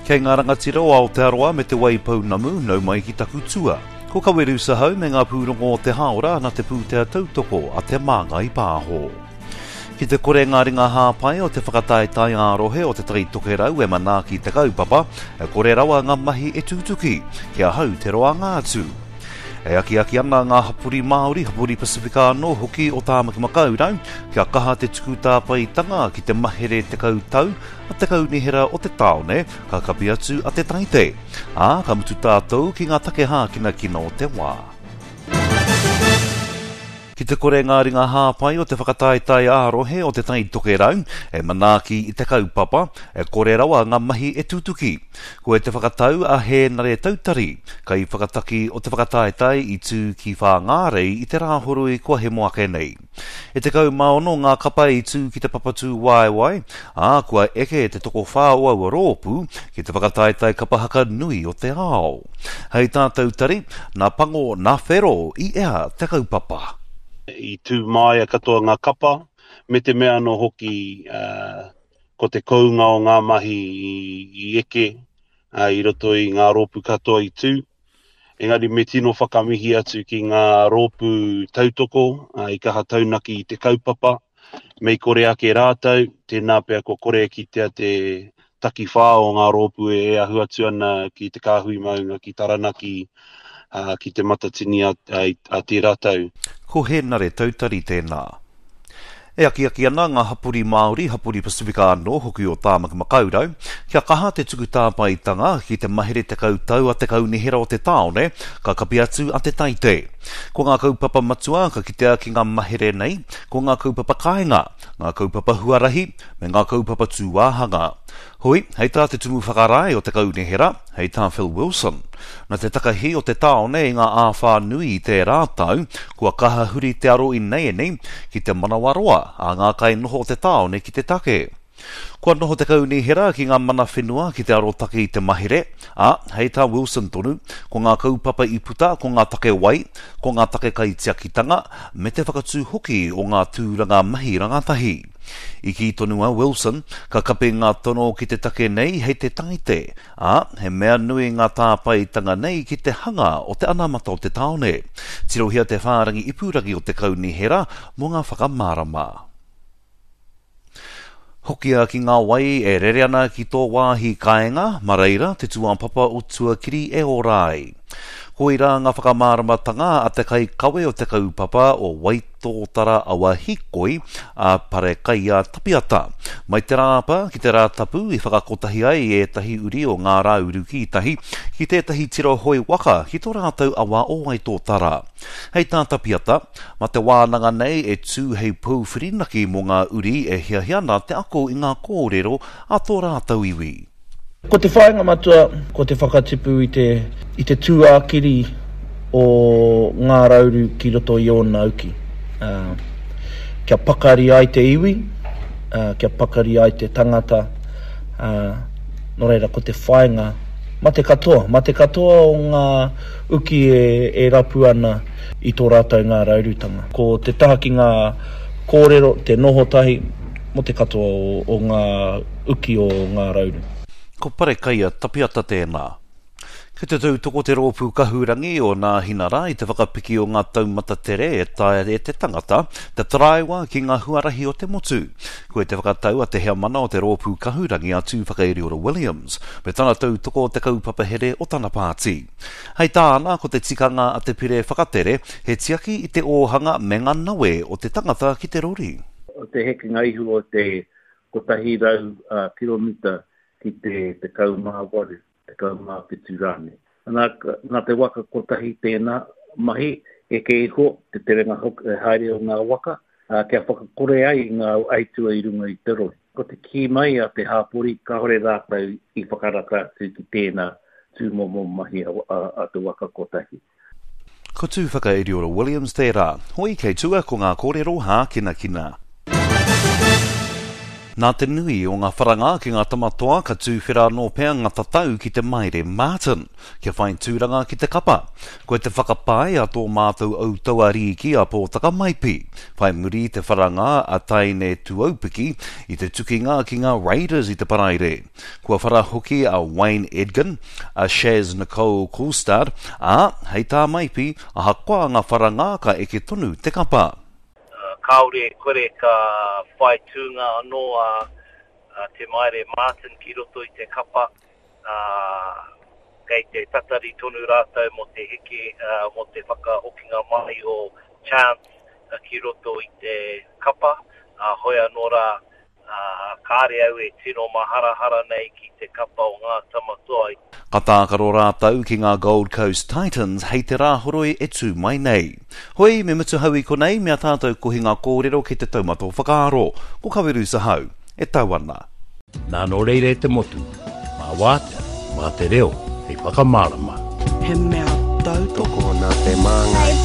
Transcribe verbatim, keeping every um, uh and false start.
Kei ngā rangatira o Aotearoa me Te Waipounamu, nau mai ki taku tua. Ko Kaweru Sahau me ngā pūrongo o te hāora na te pūtea tautoko a Te Māngai Pāho. Ki te kore ngā ringa hāpai o te whakataetae ā-rohe o Te Tai Tokerau e manaaki te kaupapa, e kore rawa ngā mahi e tutuki, ki ahau te roanga atu. E akiaki ana ngā hapori Māori, hapori Pasifika anō hoki o Tāmaki Makaurau, kia kaha te tuku tāpaetanga ki te mahere tekau tau a te kaunihera o te tāone, ka kapi atu a Te Taite. Ā, ka mutu tātou ki ngā take hākinakina o te wā. Ki te kore ngā ringa hāpai o te whakataetae ā-rohe o Te Tai Tokerau e manaaki i te kaupapa, e kore rawa ngā mahi e tutuki. Koe te whakatau a Hēnare Tautari, kaiwhakataki o te whakataetae i tū ki Whāngārei i te Rāhoroi kua hemo ake nei. E tekau mā ono ngā kapa i tū ki te papatū waewae, ā, kua eke te tokowhā o aua rōpū ki te whakataetae kapa haka nui o te ao. Hei tā Tautari, nā Pango, nā Whero i ea te kaupapa. I tū māia katoa ngā kapa, me te mea anō hoki uh, ko te kounga o ngā mahi i, i eke uh, i roto i ngā rōpū katoa i tū. Engari me tino whakamihi atu ki ngā rōpū tautoko uh, i kaha taunaki i te kaupapa. Me i kore ake rātou, tēnā pea ko kore kitea te takiwhā o ngā rōpū e ahu atu ana ki te Kāhui Maunga, ki Taranaki, uh, ki te Matatini a, a, a tērā tau. Ko Hēnare Tautari tēnā. E akiaki ana ngā hapori Māori, hapori Pasifika anō hoki o Tāmaki Makaurau, kia kaha te tuku tāpaetanga ki te mahere tekau tau a te kaunihera o te tāone, ka kapi atu a Te Taite. Ko ngā kaupapa matua ka kitea ki ngā mahere nei, ko ngā kaupapa kāinga, ngā kaupapa huarahi, me ngā kaupapa tūāhanga. Hoi, hei tā te tumu whakarae o te kaunihera, hei tā Phil Wilson, nā te takahi o te tāone i ngā āwhā nui i tērā tau, kua kaha huri te aro ināianei ki te manawaroa a ngā kainoho o te tāone ki te take. Kua noho te kaunihera ki ngā mana whenua ki te arotake i te mahere, ā, hei tā Wilson tonu, ko ngā kaupapa i puta ko ngā take wai, ko ngā take kaitiakitanga, me te whakatū hoki o ngā tūranga mahi rangatahi. I kī tonu a Wilson, ka kapi ngā tono ki te take nei hei te Taite, ā, he mea nui ngā tāpaetanga nei ki te hanga o te anamata o te tāone. Tirohia te whārangi ipurangi o te kaunihera mō ngā whakamārama. Hokia ki ngā wai e rere ana ki tō wāhi kāinga, mā reira te tūāpapa o tuakiri e ora ai. Koirā ngā whakamāramatanga a te kaikawe o te kaupapa o Waitōtara Awa Hīkoi, a Parekaia Tapiata. Mai te Rāapa ki te Rātapu i whakakotahi ai ētahi uri o Ngā Rāuru Kītahi ki tētahi tira hoe waka ki tō rātou awa o Waitōtara. Hei tā Tapiata, mā te wānanga nei e tū hei pou whirinaki mō ngā uri e hiahia ana te ako i ngā kōrero a tō rātou iwi. Ko te whāinga matua, ko te whakatipu i te, i te tūākiri o Ngā Rauru ki roto i ōna uki. Uh, kia pakari ai te iwi, uh, kia pakari ai te tangata, uh, nō reira ko te whāinga, mā te katoa, mā te katoa o ngā uki e, e rapu ana i tō rātou Ngā Raurutanga. Ko te taha ki ngā kōrero, te noho tahi, mō te katoa o, o ngā uki o Ngā Rauru. Ko Parekaia Tapiata tēnā. Kei te tautoko te rōpū kahurangi o Nāhinara i te whakapiki o ngā taumata tere e taea e te tangata te taraiwa ki ngā huarahi o te motu. Koe te whakatau a te heamana o te rōpū kahurangi a Tūwhakairiora Williams me tana tautoko o te kaupapa here o tana pāti. Hei tāna, ko te tikanga a te pire whakatere he tiaki i te ōhanga me ngā nawe o te tangata ki te rori. O te hekenga ihu o te kotahi rau kiromita ki te tekau mā waru, tekau mā whitu rānei. Nā, nā te waka kotahi tēnā mahi, eke iho te terenga haere o ngā waka, ā, kia whakakore ai i ngā aitua i runga i te rori. Ko te kī mai a te hāpori, kāore rātou i whakarata atu ki tēnā tūmomo mahi a, a, a te waka kotahi. Ko Tūwhakairiora Williams tērā. Hoi kei tua ko ngā kōrero hākinakina. Nā te nui o ngā wharanga ki ngā tamatoa ka tūwhera anō pea ngā tatau ki te Maire Martin, kia whai tūranga ki te kapa. Ko te whakapae a tō mātou Autauariki a Pōtaka Maipi, whai muri te wharanga a Taine Tuaupiki i te tukinga ki ngā Raiders i te Paraire. Kua whara hoki a Wayne Edgin, a Shaz Nicole Kulstad, ā, hei tā Maipi, ahakoa ngā wharanga ka eke tonu te kapa. Kāore e kore ka whai tūnga anō a, a Te Maire Martin ki roto i te kapa. Uh, kei te tatari tonu rātou mō te heke, uh, mō te whakahokinga mai o Chance uh, ki roto i te kapa. Uh, hoi anō rā, uh, kāre au e tino maharahara nei ki te kapa o ngā tamatoa. Ka tākaro rātou ki ngā Gold Coast Titans hei te rāhoroi e tū mai nei. Hoi, me mutu hau i konei, mea tātou kohi ngā kōrero ki te taumata o whakaaro. Ko Kawerusa Hau, e tau ana. Nā nō reira e te motu, mā wātea, mā te reo, hei whakamārama. He mea tautoko. Tokona te māngai.